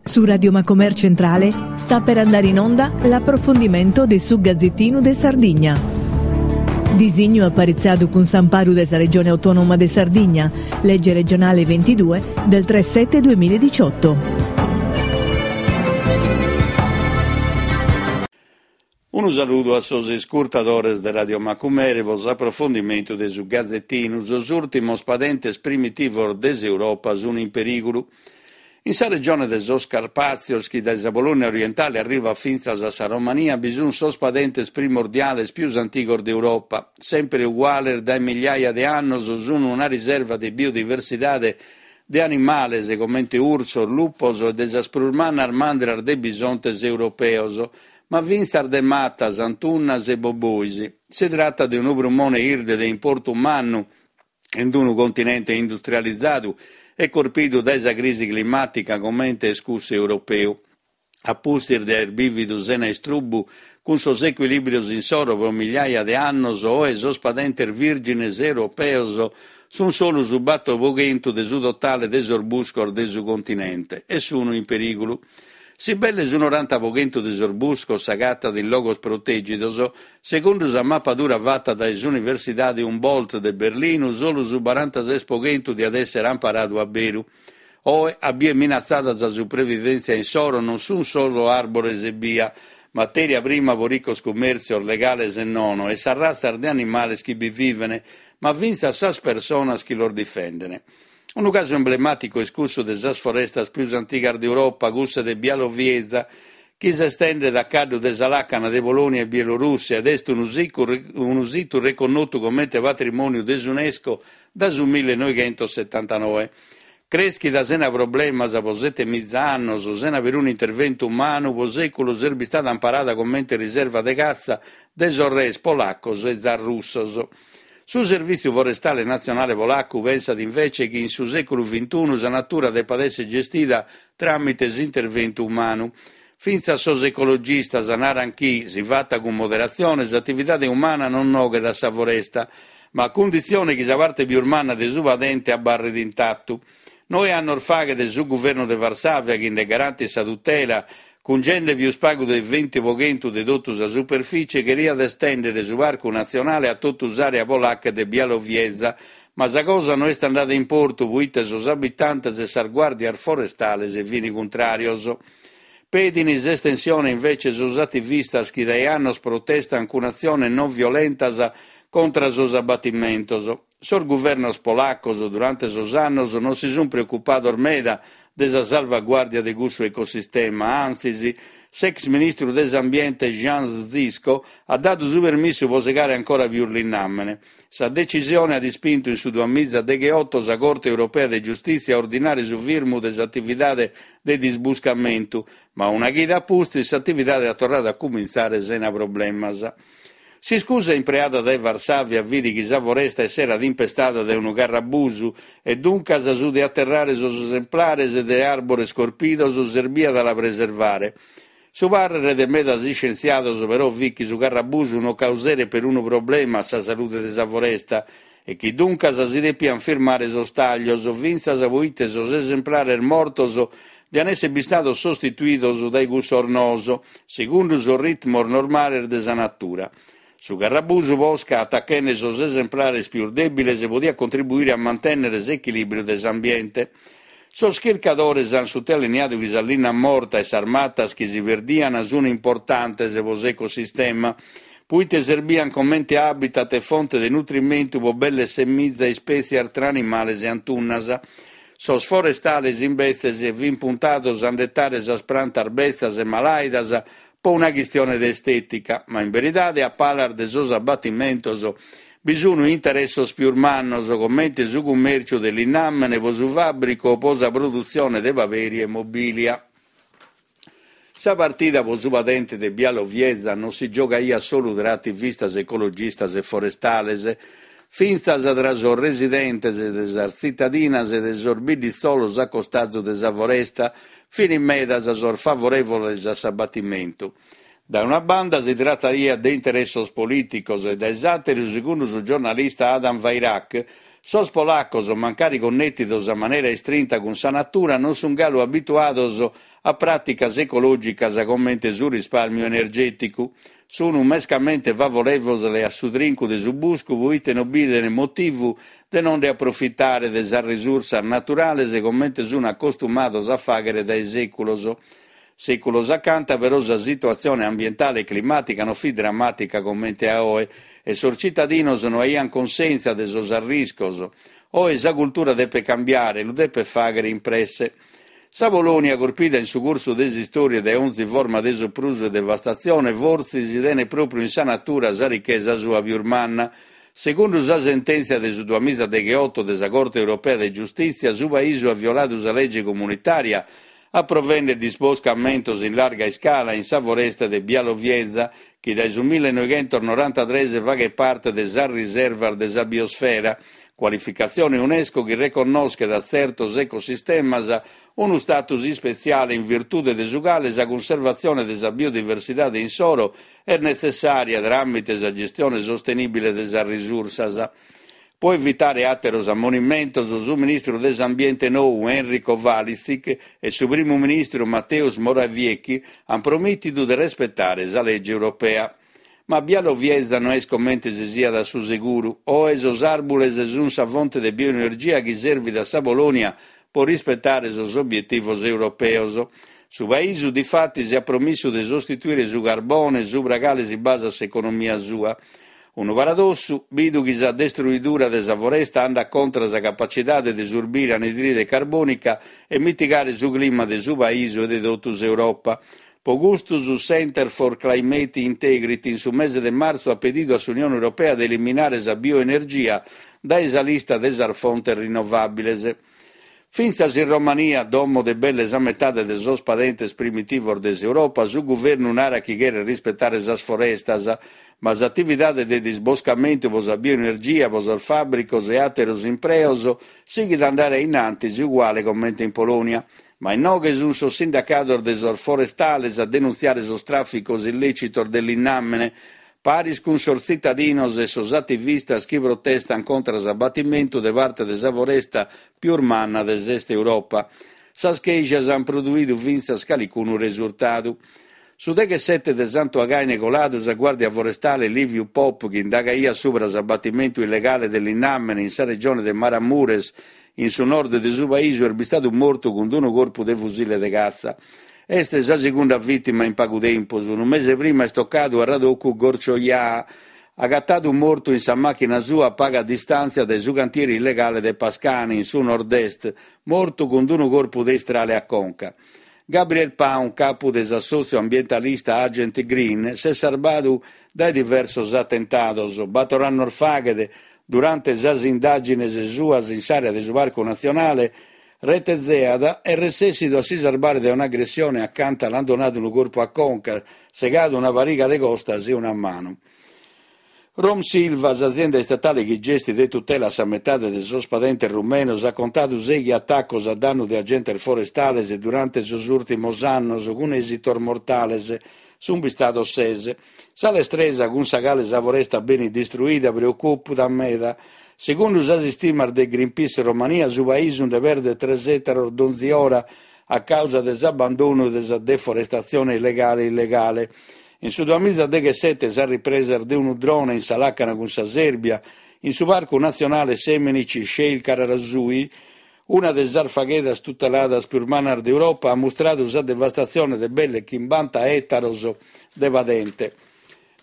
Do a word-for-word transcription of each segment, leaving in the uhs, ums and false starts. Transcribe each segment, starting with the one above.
Su Radio Macomer Centrale sta per andare in onda l'approfondimento de su Gazzettinu de Sardigna. Disignu aparitzadu cun s'amparu de sa Regione Autonoma de Sardigna, legge regionale ventidue del tre sette duemiladiciotto. Unu saludu a sos iscurtadores de Radio Macumere pro s'aprofondimentu de su Gazettinu. Sos ùrtimos padentes primitivos de s'Europa sunt in perìgulu. In sa regione de sos Carpàtzios, chi dae sa Polònia orientale arrivat fintzas a sa Romania, bi sunt sos padentes primordiales pius antigos de Europa. Sempre uguales dae migliaia de annos, sunt una riserva de biodiversidade de animales comente ursos, lupos e de sas prus mannas mandras de bisontes europeos, ma fintzas de matas, antunnas e bobois. Si tratat de unu prumone 'irde de importu mannu in unu continente industrializadu e corpidu dae sa crisi climàtica comente est cussu europeu. A pustis de aer bìvidu sena istrubbu cun sos ecuilìbrios insoro pro migliaia de annos, oe sos padentes vìrgines europeos sunt solu su bator pro chentu de su totale de sos buscos de su continente e sunu in perìgulu. Si belle su noranta pro chentu de sos buscos s'agatat in logos protègidos, segundu sa mapadura fata dae s'Universidade Humboldt de Berlinu, solu su barantases pro chentu diat èssere amparadu a beru. Oe, a bier minatzada sa supravivèntzia insoro non sunt solu àrbores ebbia, matèria prima pro ricos cummèrtzios legales e nono, e sas ratzas de animales chi bi vivene, ma fintzas sas personas chi los difendene. Unu casu emblemàticu est cussu de sas forestas pius antigas de Europa, cussa de Bialowieza, chi s'estendet a caddu de sa làcana de Polònia e Bielorùssia ed est unu sicu, unu situ reconnotu comente patrimòniu de s'UNESCO dae su millenoighentos setantanoe. Crèschida sena problemas pro sete miza annos, sena perunu interventu umanu, pro sèculos est bistada amparada comente riserva de catza de sos res polacos e zar russos. Su Servìtziu Forestale Natzionale Polacu pensat invece chi in su sèculu vintunu sa natura depat èssere gestida tràmite s'interventu umanu. Fintzas sos ecologistas naran chi, si fata cun moderatzione, s'atividade umana non noghet a sa foresta, ma a cunditzione chi sa parte pius manna de su padente abarret intatu. Noe annos faghet su guvernu de Varsàvia, chi nde garantit sa tutela, cungende pius pagu de venti pro chentu de totu sa superficie, cheriat estèndere su parcu natzionale a totu s'àrea polaca de Bialowieza, ma sa cosa no est andada in portu proite sos abitantes e sas guàrdias forestales fin contràrios. Pedin s'estensione invece sos ativistas chi dae annos protestan cun atziones non violentas contra sos abatimentos. Sos guvernos polacos durante sos annos non si sunt preocupados meda de sa salvaguàrdia de cussu ecosistema, antzis, s'ex ministru de s'ambiente Jan Zyszko at dadu su permissu pro segare ancora pius linnàmene. Sa decisione at ispintu in su duamiza degheoto sa Corte Europea de Giustìtzia a ordinare su firmu de s'atividade de disbuscamentu, ma una chida a pustis s'atividade at torradu a cumintzare sena problemas. S'iscusa impreada dae Varsàvia fit chi sa foresta esserat impestada dae unu carrabusu e duncas su de aterrare sos esemplares de àrbores corpidos serbiat a la preservare. Su pàrrere de medas iscientziados però fit chi su carrabusu non causeret perunu problema a sa salude de sa foresta e chi duncas si depiant firmare sos tàglios, fintzas proite sos esemplares mortos diant èssere bistados sostituidos dae cussos noos, segundu sos ritmos normales de sa natura. Su carrabusu posca, atachende sos esemplares pius dèbiles, podiat contribuire a mantènnere s'echilìbriu de s'ambiente. Sos chircadores ant sutaliniadu chi sa linna morta e sas matas chi si perdiant sunt importantes pro s'ecosistema, proite serbiant comente habitat e fonte de nutrimentu pro belle semiza ispètzias tra animales e antunnas. Sos forestales, imbetzes, fin puntados a nd'etare sas prantas betzas e malàidas pro una chistione de estètica, ma in veridade a palas de sos abatimentos bi sunt interessos pius mannos, comente su cummèrciu de linnàmene pro su fàbricu o pro sa produtzione de paperi e mobìlia. Sa partida pro su padente de Bialowieza non si giogaiat solu tra ativistas ecologistas e forestales, fintzas tra sos residentes de sas tzitadinas e de sos bidditzolos a costazu de sa foresta, fin medas sos favorèvoles a s'abatimentu. Dae una banda si trataiat de interessos polìticos e dae s'àteru, segundu su giornalista Adam Wairach, Sos polacos, mancari connètidos a manera istrinta cun sa natura, non sunt galu abituados a pràticas ecològicas comente su rispàrmiu energèticu. Sunt mescamente favorèvoles a su trincu de su buscu proite non bident motivu de non nde aprofitare de sas risursas naturales comente sunt acostumados a fàghere dae sèculos. Sèculos acanta però sa situatzione ambientale e climàtica non fit dramàtica comente a oe e sos citadinos no aiant consèntzia de sos arriscos. Oe sa cultura depet cambiare, lu depet fàghere in presse. Sa Polònia, corpida in su cursu de s'istòria dae onzi forma de soprusu e devastatzione, fortzis tenet pròpiu in sa natura sa richesa sua pius manna. Segundu sa sentèntzia de su duamiza degheoto de sa Corte Europea de Giustìtzia, su paisu at violadu sa lege comunitària aprovende disboscamentos in larga iscala in sa foresta de Białowieża, chi dae su millenovichentos norantatrès faghet parte de sas riservas de sa biosfera, cualificatzione UNESCO chi reconnoschet a tzertos ecosistemas unu status ispetziale in virtude de su cale sa cunservatzione de sa biodiversidade insoro est netzessària tràmite sa gestione sostenìbile de sas risursas. Pro evitare àteros ammonimentos, su ministru de s'Ambiente nou, Henryk Kowalczyk, e su primu ministru Mateusz Morawiecki ant promìtidu de respetare sa lege europea. Ma Białowieża no est comente si siat a su seguru. Oe sos àrbules sunt sa fonte de bioenergia chi servit a sa Polònia pro rispetare sos obietivos europeos. Su paisu, difatis, at promissu de sostituire su carbone subra cale si basat s'economia sua. Unu paradossu, bidu chi sa destruidura de sa foresta andat contra sa capacidade de surbire anidride carbònica e mitigare su clima de su paisu e de totu s'Europa. Pro custu su Center for Climate Integrity in su mese de martzu at pedidu a s'Unione Europea de eliminare sa bioenergia dae sa lista de sas fontes rinnovàbiles. Fintzas in Romania, domo de belle sa metade de sos padentes primitivos de s'Europa, su guvernu narat chi cheret rispetare sas forestas, ma s'atividade de disboscamentu pro sa bioenergia, pro sos fàbricos e àteros impreos sighit a andare in antis uguale comente in Polònia. Ma inoghe sunt sos sindacados de sos forestales a denuntziare sos tràficos illècitos de linnàmene, paris cun sos tzitadinos e sos ativistas chi protestant contra s'abatimentu de parte de sa foresta pius manna de s'Est Europa. Sas chèscias ant produidu fintzas calicunu resurtadu. Su deghessete de Santu Againe coladu, sa Guàrdia Forestale Liviu Pop, chi indagaiat subra s'abatimentu illegale de linnàmene in sa regione de Maramures, in su nord de su paisu, est bistadu mortu cun unu corpu de fusile de catza. Est sa segunda vìtima in pagu tempus. Unu mese prima est tocadu a Radocu Gorcioiaa, agatadu mortu in sa màchina sua a paga distàntzia dae su cantieri illegale de Pascani, in su nord-est, mortu cun unu corpu de istrale a conca. Gabriel Paun, capu de s'assòtziu ambientalista Agent Green, s'est sarbadu dae diversos atentados. Bator annos faghet, durante sas indàgines suas in s'àrea de su Parcu Natzionale, Retezeat est resessidu a si sarbare dae un'agressione acanta l'ant donadu unu corpu a conca, segadu una pariga de costas e una manu. Romsilva, s'azienda istatale chi gestit e tutela sa metade de sos padentes rumenos, at contadu sèighi atacos a dannu de agentes forestales durante sos ùrtimos annos, cun èsitos mortales. Sunt bistados ses. Sa lestresa cun sa cale sa foresta benit distruida preocupat meda. Segundu sas istimas de Greenpeace Romania, su paisu nde perdet tres ètaros donzi ora a causa de s'abbandonu e de sa deforestatzione illegale e illegale. In su duamiza deghessete sas ripresas de unu drone in sa làcana cun sa Sèrbia, in su Parcu Natzionale Semenici Șei Cărărașului, una de sas faghedas tuteladas pius mannas de Europa, at mustradu sa devastatzione de belle chimbanta ètaros de padente.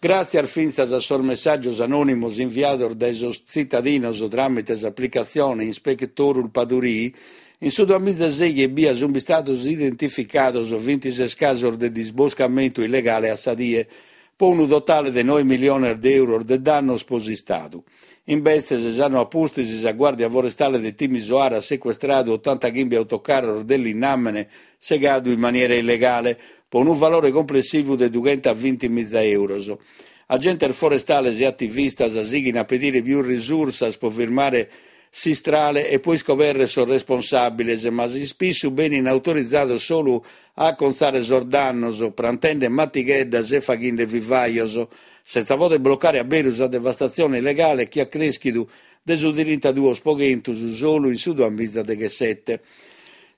Gràtzias fintzas a sos messàgios anònimos inviados dae sos tzitadinos tràmite s'aplicatzione Inspectorul Pădurii, in su duamiza sèighi ebbia sunt bistados identificados bintises casos de disboscamentu illegale a sa die, pro unu totale de noe miliones de euros de dannos pro s'Istadu. Imbetzes, s'annu a pustis, sa Guàrdia Forestale de Timisoara at secuestradu otantachimbe autocarros de linnàmene segadu in maniera illegale, pro unu valore complessivu de dughentavintimiza euros. Agentes forestales e ativistas sighint a pedire pius risursas pro firmare s'istrale e pro iscobèrrere sos responsàbiles, ma s'ispissu benint autorizados solu a acontzare sos dannos, prantende matigheddas e faghende vivajos, senza poder blocare a beru sa devastatzione illegale chi at crèschidu de su trintaduos pro chentu solu in su duamiza deghessete.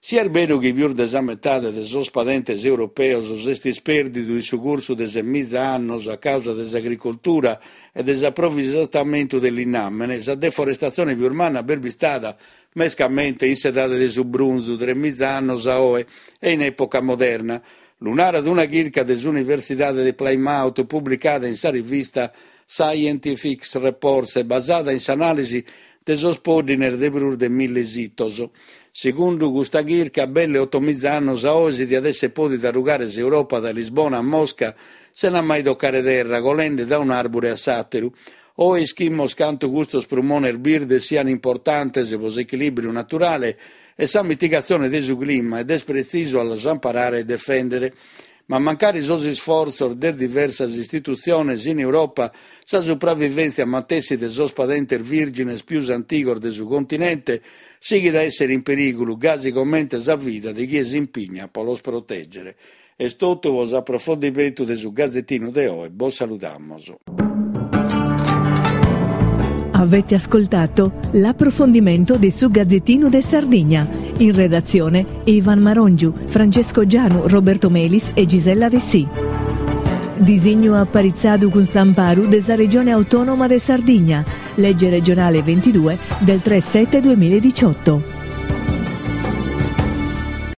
Si est beru chi pius de sa metade de sos padentes europeos s'est ispèrdidu in su cursu de semiza annos a causa de s'agricoltura e de s'aprovisamentu de linnàmene, sa deforestatzione pius manna b'est bistada mescamente in s'edade de su brunzu, tremiza annos a oe, e in època moderna. Lu narat una chirca de s'Universidade de Plymouth publicada in sa rivista Scientific Reports e basada in s'anàlisi de sos pòddines de prus de mille sitos. Segundu custa chirca, belle otomiza annos a oe si diat èssere pòdida rugare s'Europa dae Lisbona a Mosca sena mai tocare terra, colende da un'àrbure a s'àteru. Oe ischimus cantu custos prumones birdes sian importantes pro s'echilìbriu naturale e sa mitigatzione de su clima ed est pretzisu a los amparare e defèndere. Ma mancari sos isfortzos de diversas istitutziones in Europa, sa supravivèntzia matessi de sos padentes vìrgines pius antigos de su continente sighit a èssere in perìgulu, gasi comente sa vida de chie s'impigna pro los protègere. Est totu pro s'aprofondimentu de su Gazetinu de oe. Bos saludamus. Avete ascoltato l'approfondimento di su Gazzettino de Sardigna. In redazione Ivan Marongiu, Francesco Gianu, Roberto Melis e Gisella Dessì. Disignu aparitzadu cun s'amparu de sa Regione Autonoma de Sardigna. Legge regionale ventidue del tre sette duemiladiciotto.